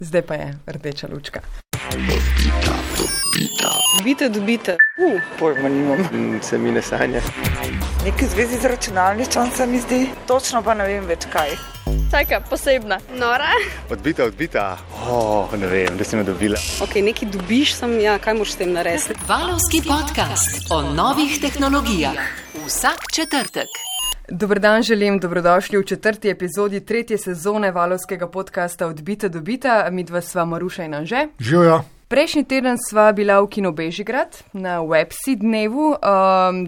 Zdaj pa je rdeča lučka. Dobite. Pojma nimam. Se mi ne sanja. Nekaj zvezi z računalništvom se mi zdi. Točno pa ne vem več kaj. Taka posebna. Nora? Odbita. Ne vem, da si me dobila. Ok, nekaj dobiš, kaj moraš s tem narediti? Valovski podcast o novih tehnologijah. Vsak četrtek. Dober dan želim, dobrodošli v 4. epizodi 3. sezone Valovskega podcasta Odbita. Midva sva Maruša in Anže. Živjo. Prejšnji teden sva bila v Kino Bežigrad na Websi dnevu,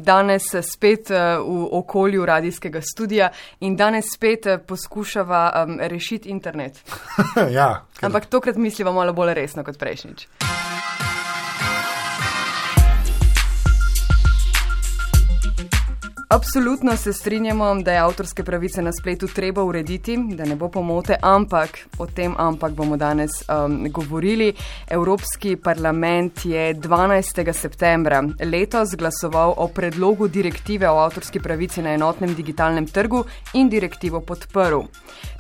danes spet v okolju radijskega studia in danes spet poskušava rešiti internet. Ja. Ampak tokrat misliva malo bolj resno kot prejšnjič. Absolutno se strinjamo, da je avtorske pravice na spletu treba urediti, da ne bo pomote, ampak bomo danes govorili. Evropski parlament je 12. septembra letos glasoval o predlogu direktive o avtorski pravici na enotnem digitalnem trgu in direktivo podprl.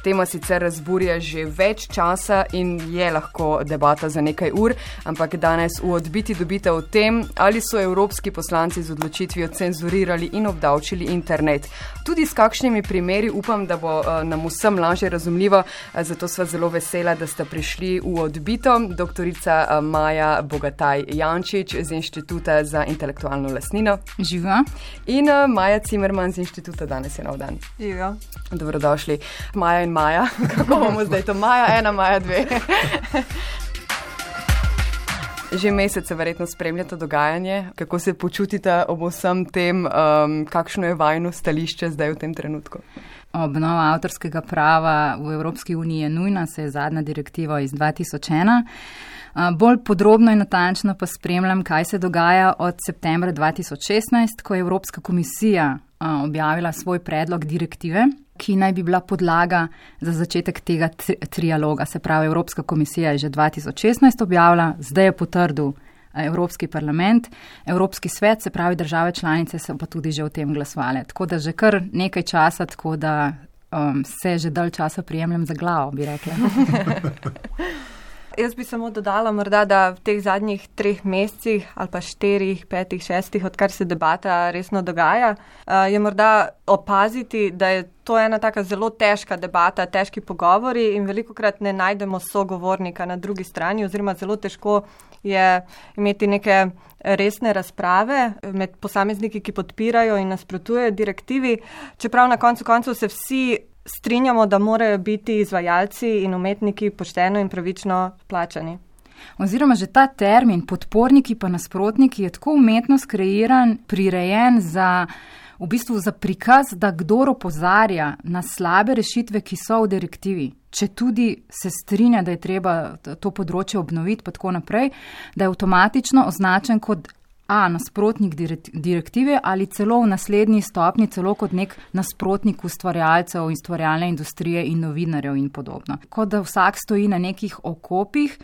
Tema sicer razburja že več časa in je lahko debata za nekaj ur, ampak danes v Odbiti o tem, ali so evropski poslanci z odločitvijo cenzurirali in obdavčili internet. Tudi s kakšnimi primeri upam, da bo nam vsem lažje razumljivo, zato sva zelo vesela, da sta prišli v Odbito. Doktorica Maja Bogataj Jančič z Inštituta za intelektualno lastnino. Živa. In Maja Cimerman z Inštituta, danes je nov dan. Živa. Dobrodošli. Maja in Maja. Kako bomo zdaj to? Maja 1, Maja 2. Že mesece verjetno spremljate dogajanje. Kako se počutite ob vsem tem, kakšno je vajno stališče zdaj v tem trenutku? Obnova avtorskega prava v Evropski uniji je nujna, se je zadnja direktiva iz 2001. Bolj podrobno in natančno pa spremljam, kaj se dogaja od septembra 2016, ko je Evropska komisija objavila svoj predlog direktive, ki naj bi bila podlaga za začetek tega trialoga. Se pravi, Evropska komisija je že 2016 objavila, zdaj je potrdil Evropski parlament, Evropski svet, se pravi države članice, so pa tudi že o tem glasovali. Tako da že kar nekaj časa, tako da se že dalj časa prijemljem za glavo, bi rekla. Jaz bi samo dodala morda, da v teh zadnjih 3 mesecih ali pa 4, 5, 6, odkar se debata resno dogaja, je morda opaziti, da je to ena taka zelo težka debata, težki pogovori in velikokrat ne najdemo sogovornika na drugi strani oziroma zelo težko je imeti neke resne razprave med posamezniki, ki podpirajo in nasprotujejo direktivi, čeprav na koncu koncev se vsi strinjamo, da morajo biti izvajalci in umetniki pošteno in pravično plačani. Oziroma že ta termin, podporniki pa nasprotniki, je tako umetno skreiran, prirejen za prikaz, da kdor opozarja na slabe rešitve, ki so v direktivi, če tudi se strinja, da je treba to področje obnoviti pa tako naprej, da je avtomatično označen kot nasprotnik direktive ali celo v naslednji stopni, celo kot nek nasprotnik ustvarjalcev, ustvarjalne industrije in novinarjev in podobno. Kot da vsak stoji na nekih okopih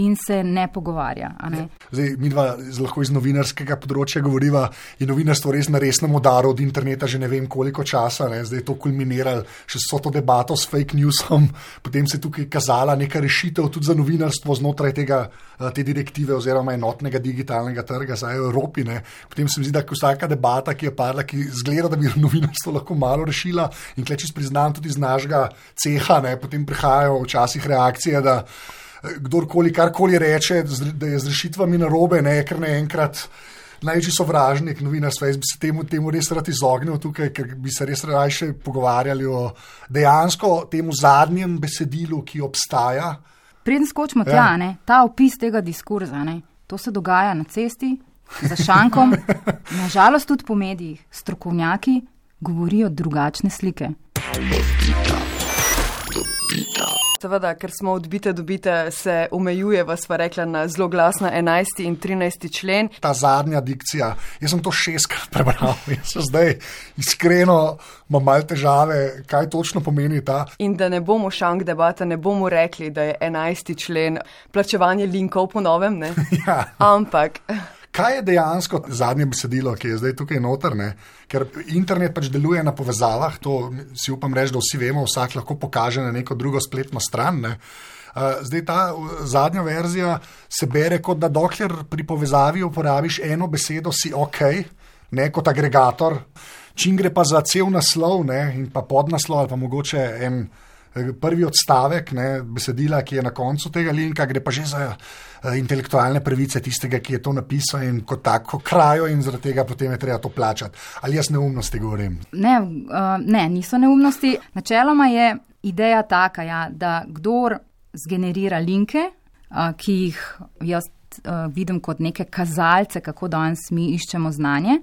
in se ne pogovarja. Ne? Zdaj, midva lahko iz novinarskega področja govoriva, je novinarstvo res na resnem udaru od interneta že ne vem koliko časa, ne? Zdaj je to kulminiralo še s to debato s fake newsom, potem se je tukaj kazala neka rešitev tudi za novinarstvo znotraj te direktive oziroma enotnega digitalnega trga za Evropi. Ne. Potem se mi zdi, da vsaka debata, ki je padla, ki zgleda, da bi novinarstvo lahko malo rešila in kleči priznam tudi z našega ceha, ne, potem prihajajo včasih reakcije, da kdorkoli karkoli reče, da je z rešitvami narobe, ne, ker naenkrat največji sovražnik novinarstva. Jaz bi se temu res rad izognil tukaj, ker bi se res rajše pogovarjali o dejansko temu zadnjem besedilu, ki obstaja. Preden skočimo tja, ne, ta opis tega diskurza, ne, to se dogaja na cesti, za šankom, nažalost tudi po medijih. Strokovnjaki govorijo drugačne slike. Seveda, ker smo odbite, se omejuje, sva rekla, na zelo glasna 11. in 13. člen. Ta zadnja dikcija, jaz sem to 6-krat prebral, jaz sem zdaj iskreno imam malo težave, kaj točno pomeni ta. In da ne bomo šank debata, ne bomo rekli, da je 11. člen plačevanje linkov po novem, ne? Ja. Ampak kaj je dejansko zadnje besedilo, ki je zdaj tukaj noter, ne? Ker internet pač deluje na povezavah, to si upam reči, da vsi vemo, vsak lahko pokaže na neko drugo spletno stran, ne? Zdaj ta zadnja verzija se bere kot da dokler pri povezavi uporabiš eno besedo, si ok, ne kot agregator. Čim gre pa za cel naslov, ne, in pa podnaslov ali pa mogoče en prvi odstavek, ne, besedila, ki je na koncu tega linka, gre pa že za intelektualne pravice tistega, ki je to napisal in kot tako krajo in zaradi tega potem je treba to plačati. Ali jaz neumnosti govorim? Ne, niso neumnosti. Načeloma je ideja taka, ja, da kdor zgenerira linke, ki jih jaz vidim kot neke kazalce, kako danes mi iščemo znanje.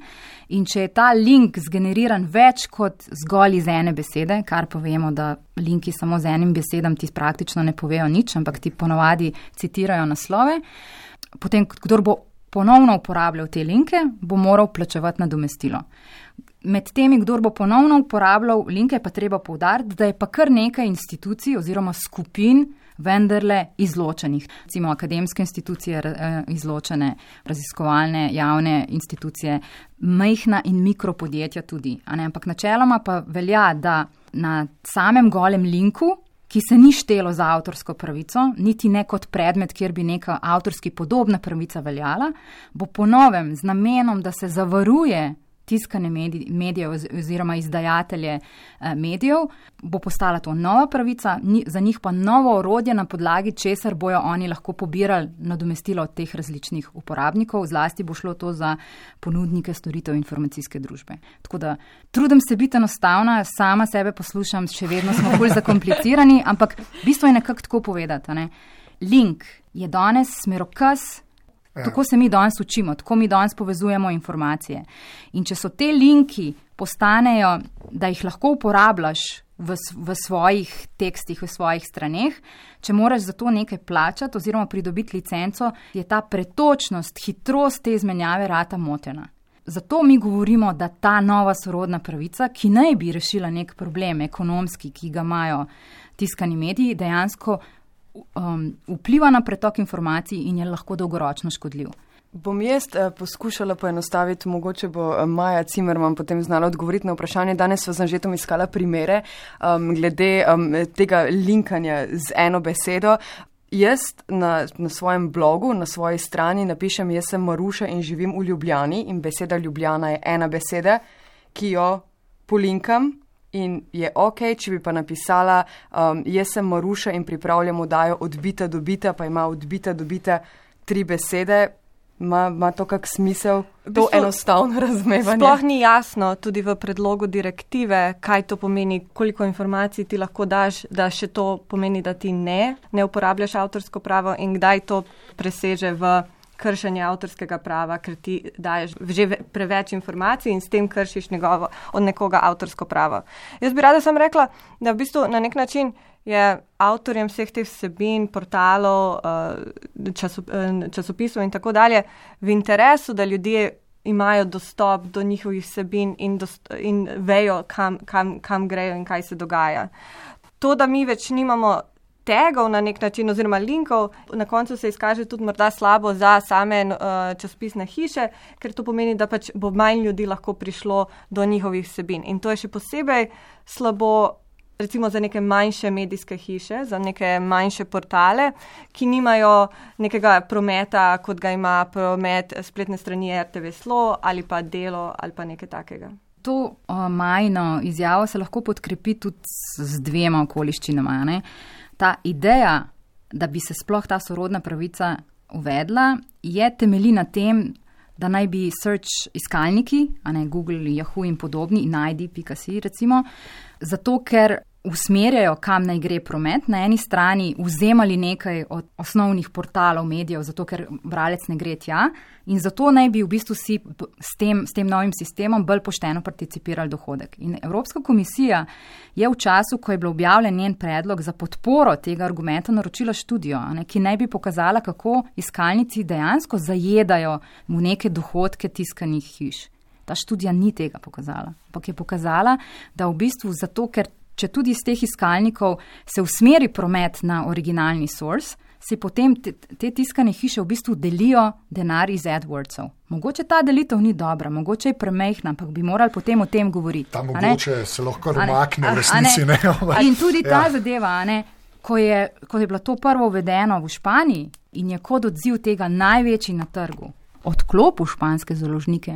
In če je ta link zgeneriran več kot zgolj iz ene besede, kar povemo, da linki samo z enim besedam ti praktično ne povejo nič, ampak ti ponovadi citirajo naslove, potem kdor bo ponovno uporabljal te linke, bo moral plačevati nadomestilo. Med temi, kdor bo ponovno uporabljal linke, pa treba poudariti, da je pa kar nekaj institucij oziroma skupin vendarle izločenih. Recimo akademske institucije izločene, raziskovalne, javne institucije, majhna in mikropodjetja tudi. Ampak načeloma pa velja, da na samem golem linku, ki se ni štelo za avtorsko pravico, niti ne kot predmet, kjer bi neka avtorski podobna pravica veljala, bo po novem z namenom, da se zavaruje tiskane medije oziroma izdajatelje medijev, bo postala to nova pravica, za njih pa novo orodje, na podlagi česar bojo oni lahko pobirali nadomestilo od teh različnih uporabnikov, zlasti bo šlo to za ponudnike storitev informacijske družbe. Tako da trudim se biti enostavna, sama sebe poslušam, še vedno smo bolj zakomplicirani, ampak bistvo je nekako tako povedati. Ne? Link je danes smerokaz. Tako se mi danes učimo, tako mi danes povezujemo informacije. In če so te linki postanejo, da jih lahko uporabljaš v svojih tekstih, v svojih straneh, če moraš za to nekaj plačati oziroma pridobiti licenco, je ta pretočnost, hitrost te izmenjave rata motena. Zato mi govorimo, da ta nova sorodna pravica, ki naj bi rešila nek problem ekonomski, ki ga imajo tiskani mediji, dejansko vpliva na pretok informacij in je lahko dolgoročno škodljiv. Bom jaz poskušala poenostaviti, mogoče bo Maja Cimerman potem znala odgovoriti na vprašanje. Danes sva z Anžetom iskala primere glede tega linkanja z eno besedo. Jaz na svojem blogu, na svoji strani napišem, jaz sem Maruša in živim v Ljubljani in beseda Ljubljana je ena beseda, ki jo polinkam. In je ok, če bi pa napisala, jaz sem Maruša in pripravljam oddajo Odbita do bita, pa ima Odbita do bita 3 besede, ima to kak smisel, to enostavno razumevanje? Sploh ni jasno tudi v predlogu direktive, kaj to pomeni, koliko informacij ti lahko daš, da še to pomeni, da ti ne uporabljaš avtorsko pravo in kdaj to preseže v kršenje avtorskega prava, ker ti daješ že preveč informacij in s tem kršiš od nekoga avtorsko pravo. Jaz bi rada sam rekla, da v bistvu na nek način je avtorjem vseh teh vsebin, portalov, časopisov in tako dalje v interesu, da ljudje imajo dostop do njihovih vsebin in vejo, kam grejo in kaj se dogaja. To, da mi več nimamo tagov na nek način oziroma linkov, na koncu se izkaže tudi morda slabo za same časopisne hiše, ker to pomeni, da pač bo manj ljudi lahko prišlo do njihovih vsebin. In to je še posebej slabo recimo za neke manjše medijske hiše, za neke manjše portale, ki nimajo nekega prometa, kot ga ima promet spletne strani RTV Slo ali pa Delo ali pa nekaj takega. To majno izjavo se lahko podkrepi tudi z dvema okoliščinama, ne? Ta ideja, da bi se sploh ta sorodna pravica uvedla, je temelji na tem, da naj bi search iskalniki, Google, Yahoo in podobni, najdi.si recimo, zato ker usmerjajo, kam naj gre promet, na eni strani vzemali nekaj od osnovnih portalov medijev, zato ker bralec ne gre tja in zato naj bi v bistvu si s tem novim sistemom bolj pošteno participirali dohodek. In Evropska komisija je v času, ko je bil objavljen njen predlog za podporo tega argumenta, naročila študijo, ki naj bi pokazala, kako iskalnici dejansko zajedajo v neke dohodke tiskanih hiš. Ta študija ni tega pokazala, ampak je pokazala, da v bistvu zato, ker če tudi iz teh iskalnikov se usmeri promet na originalni source, si potem te tiskane hiše v bistvu delijo denar iz AdWordsov. Mogoče ta delitev ni dobra, mogoče je premehna, ampak bi morali potem o tem govoriti. Ta mogoče se lahko romakne v resnici. In tudi ta zadeva, ko je bilo to prvo uvedeno v Španiji in je kot odziv tega največji na trgu, odklopil španske založnike,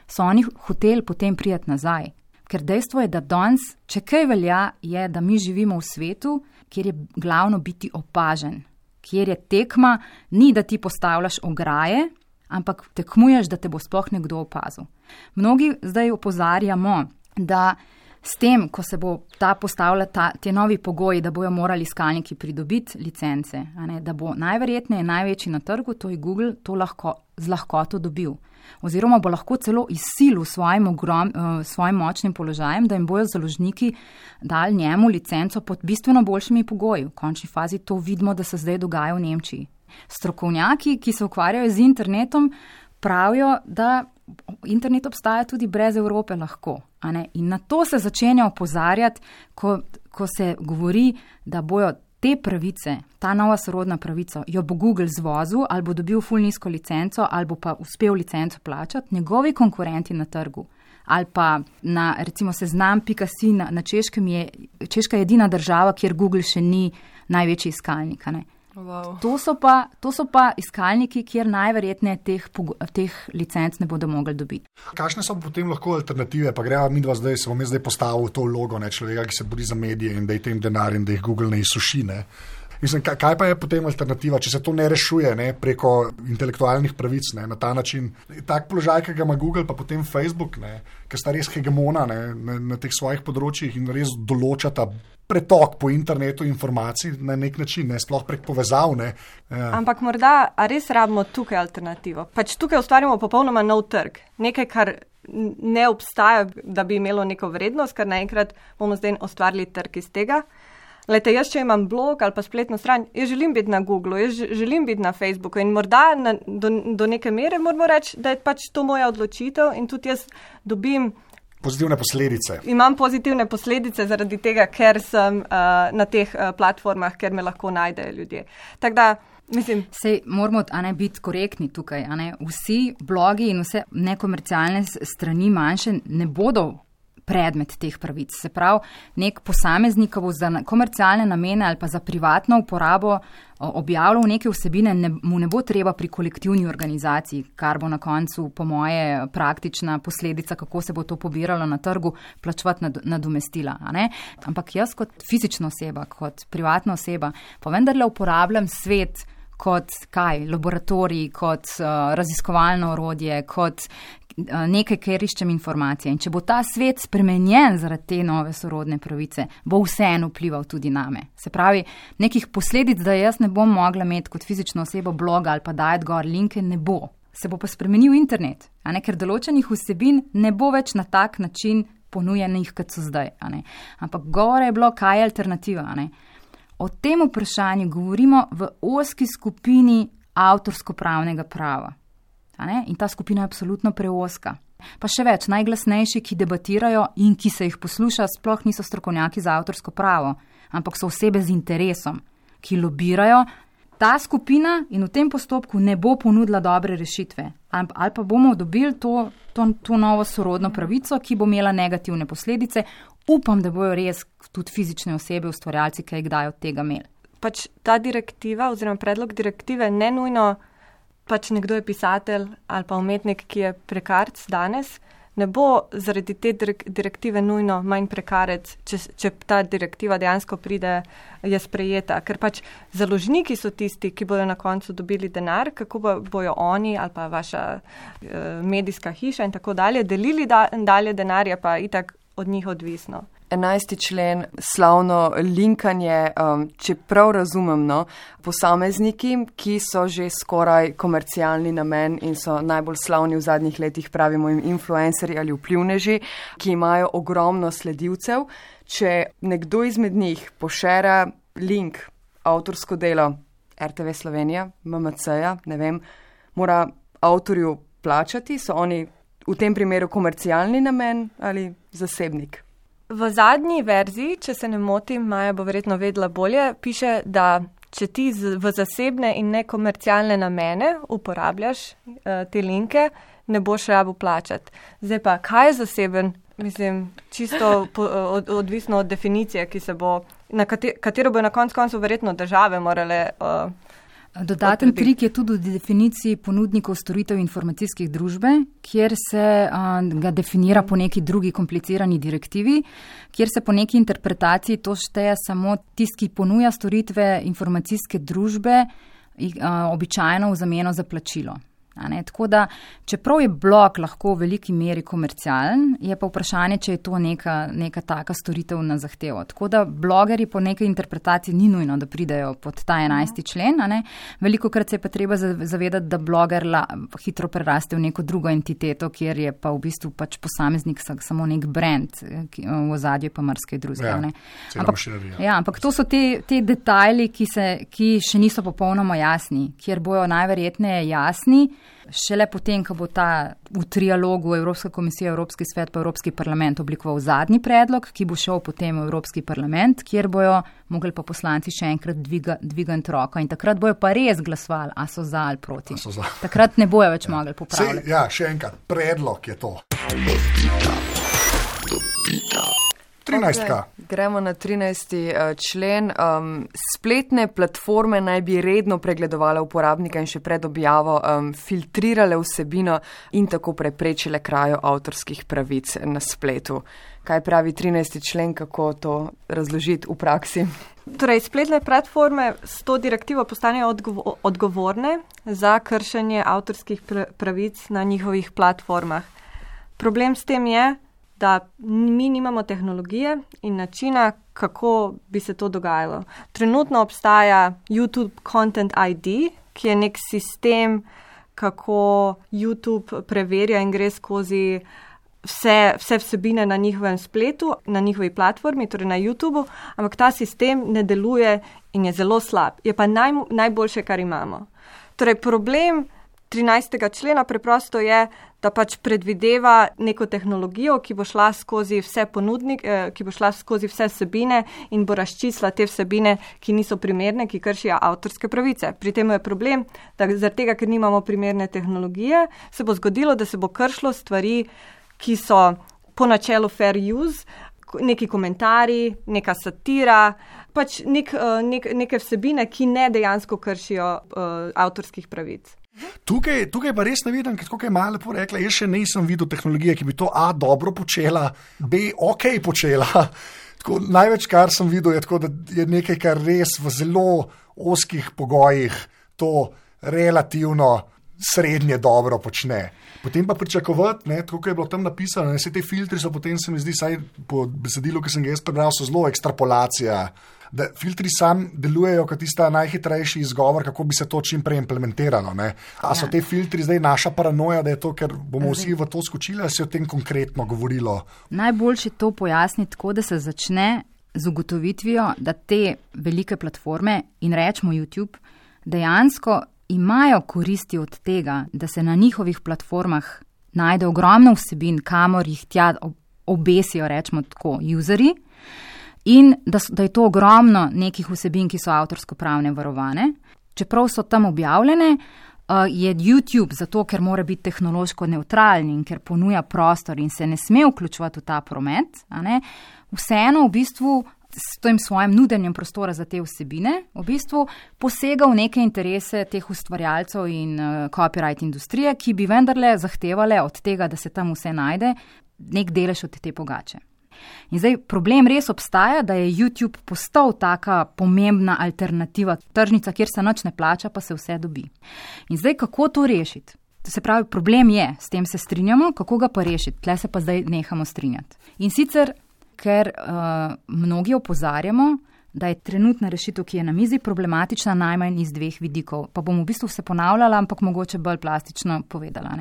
so oni hoteli potem prijeti nazaj. Ker dejstvo je, da danes, če kaj velja, je, da mi živimo v svetu, kjer je glavno biti opažen, kjer je tekma, ni da ti postavljaš ograje, ampak tekmuješ, da te bo sploh nekdo opazil. Mnogi zdaj opozarjamo, da s tem, ko se bo ta postavila te novi pogoji, da bojo morali iskalniki pridobiti licence, da bo najverjetneje največji na trgu, to je Google, to z lahkoto dobil. Oziroma bo lahko celo izsilil svojim močnim položajem, da jim bojo založniki dali njemu licenco pod bistveno boljšimi pogoji. V končni fazi to vidimo, da se zdaj dogaja v Nemčiji. Strokovnjaki, ki se ukvarjajo z internetom, pravijo, da internet obstaja tudi brez Evrope lahko. In na to se začenja opozarjati, ko se govori, da bojo te pravice, ta nova sorodna pravica, jo bo Google zvozil ali bo dobil ful nizko licenco ali bo pa uspel licenco plačati, njegovi konkurenti na trgu ali pa na recimo seznam.si na Češkem Češka je edina država, kjer Google še ni največji iskalnik. Wow. To so pa iskalniki, kjer najverjetneje teh licenc ne bodo mogli dobiti. Kakšne so potem lahko alternative? Pa greva midva zdaj, se bom jaz zdaj postavil v to vlogo človeka, ki se bori za medije in da je tem denar in da jih Google ne izsuši. Mislim, kaj pa je potem alternativa, če se to ne rešuje preko intelektualnih pravic na ta način? Tak položaj, ki ga ima Google, pa potem Facebook, ki sta res hegemona na teh svojih področjih in res določata pretok po internetu informacij na nek način, sploh prek povezav. Ampak morda res rabimo tukaj alternativo. Tukaj ustvarjamo popolnoma nov trg. Nekaj, kar ne obstaja, da bi imelo neko vrednost, ker naenkrat bomo zdaj ustvarili trg iz tega. Lejte, jaz, če imam blog ali pa spletno stran, jaz želim biti na Googlu, jaz želim biti na Facebooku in morda do neke mere moramo reči, da je to moja odločitev in tudi jaz dobim pozitivne posledice. Imam pozitivne posledice zaradi tega, ker sem na teh platformah, ker me lahko najdejo ljudje. Tako da, mislim... Sej moramo biti korektni tukaj. Vsi blogi in vse nekomercialne strani manjše ne bodo predmet teh pravic. Se pravi, nek posameznik bo za komercialne namene ali pa za privatno uporabo objavljal neke vsebine, mu ne bo treba pri kolektivni organizaciji, kar bo na koncu, po moje, praktična posledica, kako se bo to pobiralo na trgu, plačevati nadomestila. Ampak jaz kot fizična oseba, kot privatna oseba, pa vendarle uporabljam svet kot laboratorij, kot raziskovalno orodje, kot nekaj, kjer iščem informacije. In če bo ta svet spremenjen zaradi te nove sorodne pravice, bo vseeno vplival tudi name. Se pravi, nekih posledic, da jaz ne bom mogla imeti kot fizična oseba bloga ali pa dajati gor linke, ne bo. Se bo pa spremenil internet, ker določenih vsebin ne bo več na tak način ponujenih, kot so zdaj. Ampak govora je bilo, kaj je alternativa. O tem vprašanju govorimo v ozki skupini avtorsko-pravnega prava. In ta skupina je absolutno preozka. Pa še več, najglasnejši, ki debatirajo in ki se jih posluša, sploh niso strokovnjaki za avtorsko pravo, ampak so osebe z interesom, ki lobirajo. Ta skupina in v tem postopku ne bo ponudila dobre rešitve. Ali pa bomo dobili to novo sorodno pravico, ki bo imela negativne posledice. Upam, da bojo res tudi fizične osebe, ustvarjalci, ki jih kdaj od tega imeli. Ta direktiva oziroma predlog direktive ne nujno nekdo je pisatelj ali pa umetnik, ki je prekarec danes, ne bo zaradi te direktive nujno manj prekarec, če ta direktiva dejansko pride, je sprejeta. Ker založniki so tisti, ki bodo na koncu dobili denar, kako bojo oni ali pa vaša medijska hiša in tako dalje delili dalje denar, je pa itak od njih odvisno. 11. člen, slavno linkanje, če prav razumem, posamezniki, ki so že skoraj komercialni namen in so najbolj slavni v zadnjih letih, pravimo jim influencerji ali vplivneži, ki imajo ogromno sledilcev. Če nekdo izmed njih pošera link, avtorsko delo RTV Slovenija, MMC-ja, ne vem, mora avtorju plačati, so oni v tem primeru komercialni namen ali zasebnik? V zadnji verziji, če se ne motim, Maja bo verjetno vedela bolje, piše, da če ti v zasebne in nekomercialne namene uporabljaš te linke, ne boš rabil plačati. Zdaj pa, kaj je zaseben Mislim, čisto odvisno od definicije, ki se bo, katero bo na koncu verjetno države morale. Dodaten trik je tudi v definiciji ponudnikov storitev informacijskih družbe, kjer se ga definira po neki drugi komplicirani direktivi, kjer se po neki interpretaciji to šteje samo tisti, ki ponuja storitve informacijske družbe, običajno v zameno za plačilo. Tako da, čeprav je blog lahko v veliki meri komercialen, je pa vprašanje, če je to neka taka storitev na zahtevo. Tako da blogerji po neki interpretaciji ni nujno, da pridejo pod ta 11. člen. Veliko krat se je pa treba zavedati, da bloger hitro preraste v neko drugo entiteto, kjer je pa v bistvu pač posameznik samo nek brand, v ozadju pa marsikaj drugega. Ampak to so te detajli, ki še niso popolnoma jasni, kjer bojo najverjetneje jasni, šele potem, ko bo v trialogu Evropska komisija, Evropski svet pa Evropski parlament oblikoval zadnji predlog, ki bo šel potem v Evropski parlament, kjer bojo mogli pa poslanci še enkrat dvigati roko in takrat bojo pa res glasovali, a so za ali proti. Takrat ne bojo več mogli popravljati. Še enkrat, predlog je to. 13. Gremo na 13. člen. Spletne platforme naj bi redno pregledovale uporabnika in še pred objavo filtrirale vsebino in tako preprečile krajo avtorskih pravic na spletu. Kaj pravi 13. člen, kako to razložiti v praksi? Torej, spletne platforme s to direktivo postanejo odgovorne za kršenje avtorskih pravic na njihovih platformah. Problem s tem je, da mi nimamo tehnologije in načina, kako bi se to dogajalo. Trenutno obstaja YouTube Content ID, ki je nek sistem, kako YouTube preverja in gre skozi vse vsebine na njihovem spletu, na njihovi platformi, torej na YouTubeu, ampak ta sistem ne deluje in je zelo slab. Je pa najboljše, kar imamo. Torej, problem 13. člena preprosto je, da pač predvideva neko tehnologijo, ki bo šla skozi vse ponudnike, ki bo šla skozi vse vsebine in bo razčistila te vsebine, ki niso primerne, ki kršijo avtorske pravice. Pri tem je problem, da zaradi tega, ker nimamo primerne tehnologije, se bo zgodilo, da se bo kršilo stvari, ki so po načelu fair use, neki komentarji, neka satira, pač neke vsebine, ki ne dejansko kršijo avtorskih pravic. Tukaj pa res ne vidim, kako je malo lepo rekla, jaz še nisem videl tehnologije, ki bi to A dobro počela, B ok počela. Tako, največ, kar sem videl, je tako, da je nekaj, kar res v zelo ozkih pogojih to relativno srednje dobro počne. Potem pa pričakovati, tako je bilo tam napisano, vse te filtri so potem, se mi zdi, saj po besedilu, ki sem ga jaz prebral, so zelo ekstrapolacija. Da filtri sam delujejo kot tista najhitrejši izgovor, kako bi se to čim prej implementiralo. A so te filtri zdaj naša paranoja, da je to, ker bomo vsi v to skočili, ali se je o tem konkretno govorilo? Najboljše to pojasniti tako, da se začne z ugotovitvijo, da te velike platforme in rečemo YouTube dejansko imajo koristi od tega, da se na njihovih platformah najde ogromno vsebin, kamor jih tja obesijo, rečemo tako, userji, in da je to ogromno nekih vsebin, ki so avtorsko-pravne varovane. Čeprav so tam objavljene, je YouTube zato, ker mora biti tehnološko nevtralen in ker ponuja prostor in se ne sme vključevati v ta promet, vseeno v bistvu s tem svojim nudenjem prostora za te vsebine, v bistvu posega v neke interese teh ustvarjalcev in copyright industrije, ki bi vendarle zahtevale od tega, da se tam vse najde, nek delež od te pogače. In zdaj problem res obstaja, da je YouTube postal taka pomembna alternativa, tržnica, kjer se nič ne plača, pa se vse dobi. In zdaj kako to rešiti? To se pravi, problem je, s tem se strinjamo, kako ga pa rešiti? Tle se pa zdaj nehamo strinjati. In sicer, ker mnogi opozarjamo, da je trenutna rešitev, ki je na mizi, problematična najmanj iz dveh vidikov. Pa bom v bistvu se ponavljala, ampak mogoče bolj plastično povedala.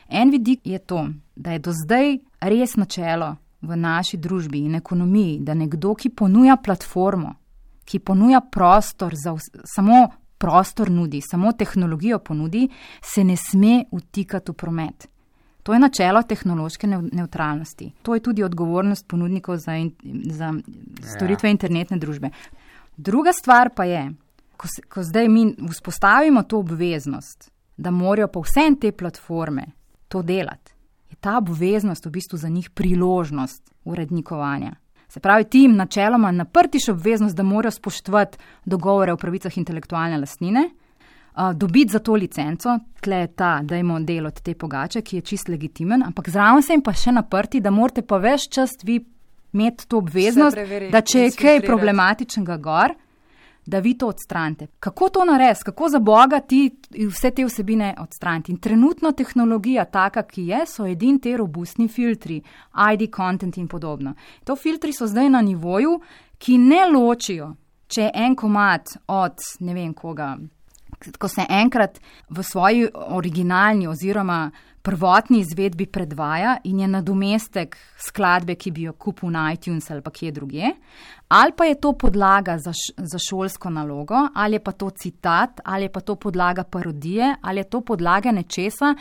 En vidik je to, da je do zdaj res načelo v naši družbi in ekonomiji, da nekdo, ki ponuja platformo, ki ponuja prostor, samo prostor nudi, samo tehnologijo ponudi, se ne sme vtikati v promet. To je načelo tehnološke nevtralnosti. To je tudi odgovornost ponudnikov za storitve internetne družbe. Druga stvar pa je, ko zdaj mi vzpostavimo to obveznost, da morajo pa vse te platforme to delati, je ta obveznost v bistvu za njih priložnost urednikovanja. Se pravi, ti jim načeloma naprtiš obveznost, da morajo spoštovati dogovore o pravicah intelektualne lastnine, dobiti za to licenco, tle je ta, dajmo del od te pogače, ki je čist legitimen, ampak zraven se jim pa še naprti, da morate pa ves čas vi imeti to obveznost, da če je kaj problematičnega gor, da vi to odstranite. Kako to narediti? Kako za Boga ti vse te vsebine odstraniti? In trenutno tehnologija taka, ki je, so edini te robustni filtri, ID content in podobno. To filtri so zdaj na nivoju, ki ne ločijo, če je en komad od ne vem koga, ko se enkrat v svoji originalni oziroma prvotni izvedbi predvaja in je nadomestek skladbe, ki bi jo kupil na iTunes ali pa kje drugje, ali pa je to podlaga za šolsko nalogo, ali je pa to citat, ali je pa to podlaga parodije, ali je to podlaga nečesa,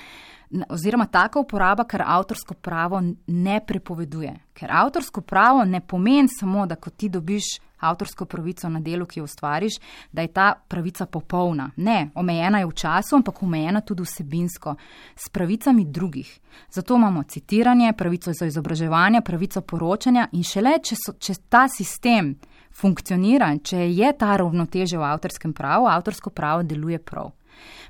oziroma taka uporaba, ker avtorsko pravo ne prepoveduje. Ker avtorsko pravo ne pomeni samo, da ko ti dobiš avtorsko pravico na delu, ki jo ustvariš, da je ta pravica popolna. Ne, omejena je v času, ampak omejena tudi vsebinsko, s pravicami drugih. Zato imamo citiranje, pravico za izobraževanje, pravico poročanja in šele, če ta sistem funkcionira, če je ta ravnotežje v avtorskem pravu, avtorsko pravo deluje prav.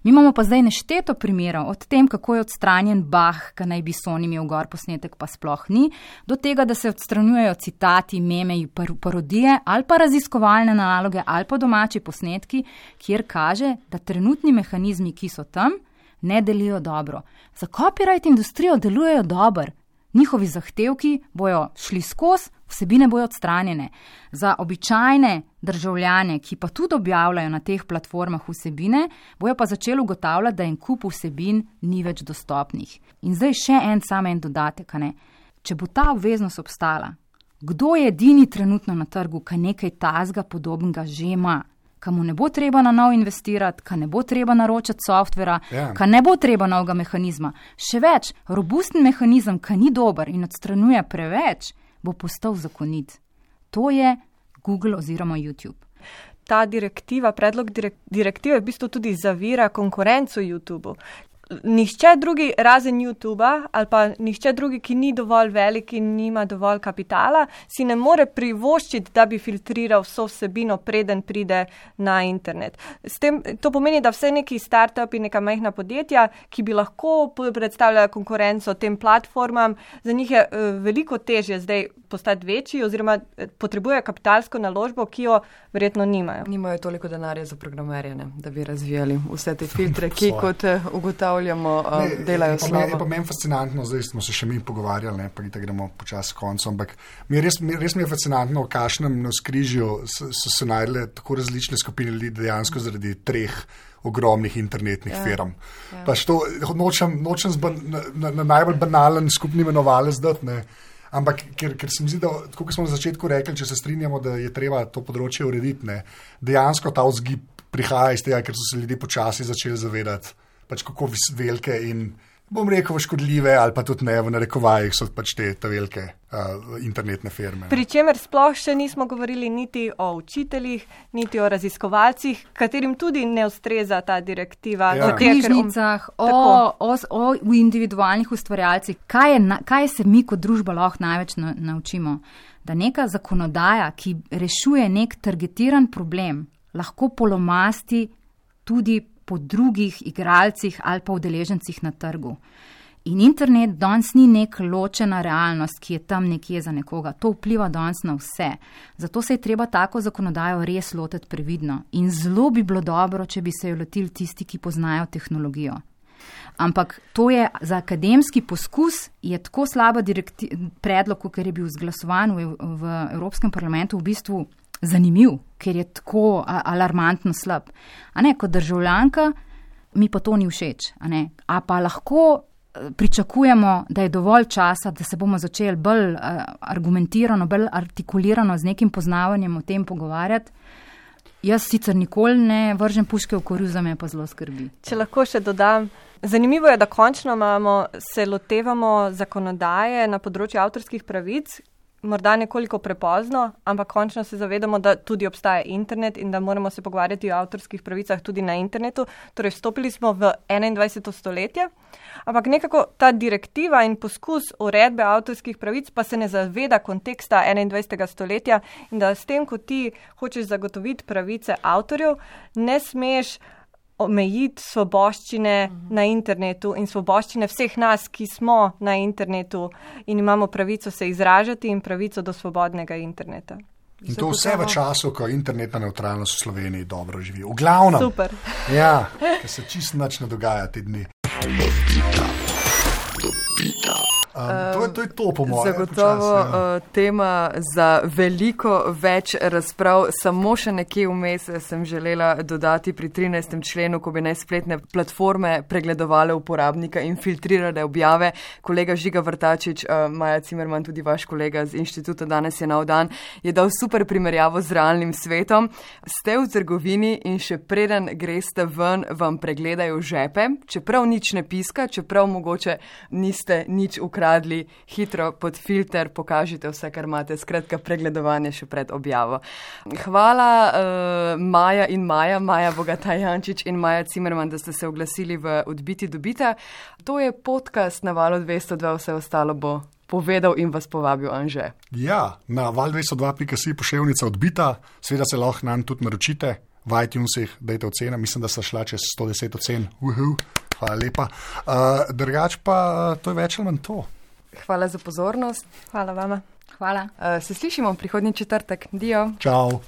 Mi imamo pa zdaj nešteto primerov, od tem, kako je odstranjen Bach, ki naj bi Sony imel gor posnetek, pa sploh ni, do tega, da se odstranjujejo citati, meme, parodije ali pa raziskovalne naloge ali pa domači posnetki, kjer kaže, da trenutni mehanizmi, ki so tam, ne delijo dobro. Za copyright industrijo delujejo dobro. Njihovi zahtevki bojo šli skozi, vsebine bojo odstranjene. Za običajne državljane, ki pa tudi objavljajo na teh platformah vsebine, bojo pa začeli ugotavljati, da en kup vsebin ni več dostopnih. In zdaj še en dodatek, ne? Če bo ta obveznost obstala, kdo je edini trenutno na trgu, ki nekaj tazga podobnega že ima? Ka mu ne bo treba na nov investirati, ka ne bo treba naročati softvera, ka ne bo treba novega mehanizma. Še več, robusten mehanizem, ka ni dober in odstranjuje preveč, bo postal zakonit. To je Google oziroma YouTube. Ta direktiva, predlog direktive v bistvu tudi zavira konkurenco YouTubeu. Nihče drugi razen YouTuba ali pa nihče drugi, ki ni dovolj velik in nima dovolj kapitala, si ne more privoščiti, da bi filtriral vso vsebino, preden pride na internet. To pomeni, da vse neki start-upi, neka majhna podjetja, ki bi lahko predstavljala konkurenco tem platformam, za njih je veliko težje zdaj postati večji oziroma potrebujejo kapitalsko naložbo, ki jo verjetno nimajo. Nimajo toliko denarja za programerje, da bi razvijali vse te filtre, ki kot ugotavljamo, delajo slabo. Je pa meni fascinantno, zdaj smo se še mi pogovarjali, pa gremo počasi koncu, ampak res mi je fascinantno, v kakšnem navzkrižju so se najdele tako različne skupine ljudi dejansko zaradi 3 ogromnih internetnih firm. Pač to nočem na najbolj banalen skupni imenovalec dati, ne. Ampak, ker se mi zdi, da, tako kot smo na začetku rekli, če se strinjamo, da je treba to področje urediti, ne, dejansko ta vzgib prihaja iz tega, ker so se ljudje počasi začeli zavedati, pač kako velike in, bom rekel, škodljive ali pa tudi ne, v narekovajih so pač te velike internetne firme. Pričemer sploh še nismo govorili niti o učiteljih, niti o raziskovalcih, katerim tudi ne ustreza ta direktiva. O knjižnicah, o individualnih ustvarjalcih. Kaj se mi kot družba lahko največ naučimo? Da neka zakonodaja, ki rešuje nek targetiran problem, lahko polomasti tudi po drugih igralcih ali pa udeležencih na trgu. In internet danes ni nek ločena realnost, ki je tam nekje za nekoga. To vpliva danes na vse. Zato se je treba tako zakonodajo res lotiti previdno. In zelo bi bilo dobro, če bi se jo lotili tisti, ki poznajo tehnologijo. Ampak to je za akademski poskus, je tako slaba predlog, ker je bil izglasovan v Evropskem parlamentu v bistvu zanimiv, ker je tako alarmantno slab. A ne, kot državljanka mi pa to ni všeč. A pa lahko pričakujemo, da je dovolj časa, da se bomo začeli bolj argumentirano, bolj artikulirano z nekim poznavanjem o tem pogovarjati. Jaz sicer nikoli ne vržem puške v koruzo, me pa zelo skrbi. Če lahko še dodam, zanimivo je, da končno se lotevamo zakonodaje na področju avtorskih pravic, morda nekoliko prepozno, ampak končno se zavedamo, da tudi obstaja internet in da moramo se pogovarjati o avtorskih pravicah tudi na internetu. Torej, vstopili smo v 21. stoletje, ampak nekako ta direktiva in poskus uredbe avtorskih pravic pa se ne zaveda konteksta 21. stoletja in da s tem, ko ti hočeš zagotoviti pravice avtorjev, ne smeš omejiti svoboščine na internetu in svoboščine vseh nas, ki smo na internetu in imamo pravico se izražati in pravico do svobodnega interneta. In to vse v času, ko internetna nevtralnost v Sloveniji dobro živi. V glavnem. Super. Ja, ker se čisto nič ne dogaja te dni. To je to, po mojem. Zagotovo tema za veliko več razprav. Samo še nekje vmes sem želela dodati pri 13. členu, ko bi naj spletne platforme pregledovale uporabnika in filtrirale objave. Kolega Žiga Vrtačič, Maja Cimerman, tudi vaš kolega z inštituta Danes je nov dan, je dal super primerjavo z realnim svetom. Ste v trgovini in še preden greste ven, vam pregledajo žepe, čeprav nič ne piska, čeprav mogoče niste nič ukradli, hitro pod filter pokažite vse, kar imate, skratka pregledovanje še pred objavo. Hvala Maja in Maja Bogataj Jančič in Maja Cimerman, da ste se oglasili v Odbiti dobita. To je podcast na Valu 202, vse ostalo bo povedal in vas povabil Anže. Ja, na val202.si poševnica Odbita, seveda se lahko nam tudi naročite, v iTunesih dajte ocena, mislim, da sta šla čez 110 ocen. Hvala lepa. Drugač pa to je več ali manj to. Hvala za pozornost. Hvala vama. Hvala. Se slišimo prihodnji četrtek. Dio. Čau.